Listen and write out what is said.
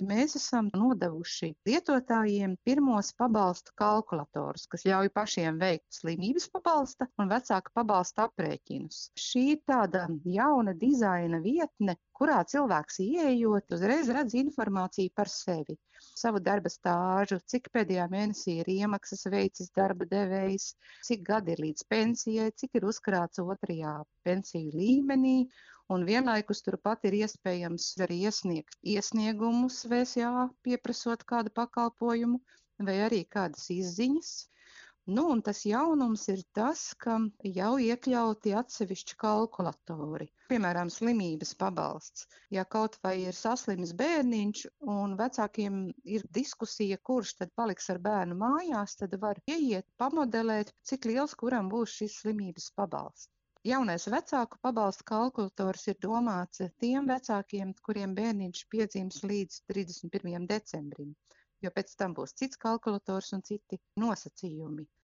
Mēs esam nodevuši lietotājiem pirmos pabalstu kalkulatorus, kas ļauj pašiem veikt slimības pabalsta un vecāka pabalsta aprēķinus. Šī ir tāda jauna dizaina vietne, kurā cilvēks ieejot, uzreiz redz informāciju par sevi, savu darba stāžu, cik pēdējā mēnesī ir iemaksas veicis darba devējs, cik gadi ir līdz pensijai, cik ir uzkrāts otrajā pensiju līmenī, un vienlaikus turpat ir iespējams arī iesniegt iesniegumus VSA, pieprasot kādu pakalpojumu vai arī kādas izziņas. Un tas jaunums ir tas, ka jau iekļauti atsevišķi kalkulatori. Piemēram, slimības pabalsts. Ja kaut vai ir saslimis bērniņš un vecākiem ir diskusija, kurš tad paliks ar bērnu mājās, tad var ieiet, pamodelēt, cik liels kuram būs šis slimības pabalsts. Jaunais vecāku pabalsta kalkulators ir domāts tiem vecākiem, kuriem bērniņš piedzims līdz 31. decembrim, jo pēc tam būs cits kalkulators un citi nosacījumi.